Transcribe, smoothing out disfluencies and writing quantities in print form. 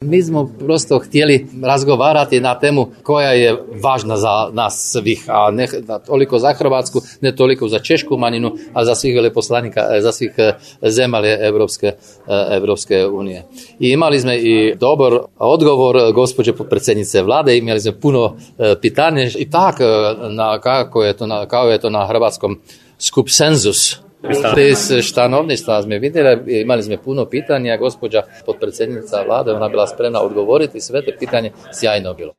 Mi smo prosto htjeli razgovarati na temu koja je važna za nas svih, a ne toliko za Hrvatsku, ne toliko za češku manjinu, a za svih veleposlanika, za svih zemalja Evropske unije. I imali smo i dobar odgovor gospođe potpredsjednice vlade, imali smo puno pitanja i tako kao je to na hrvatskom skup senzus. Bez štanovništva smo vidjeli, imali smo puno pitanja, gospođa potpredsjednica vlade, ona bila spremna odgovoriti, sve te pitanje sjajno bilo.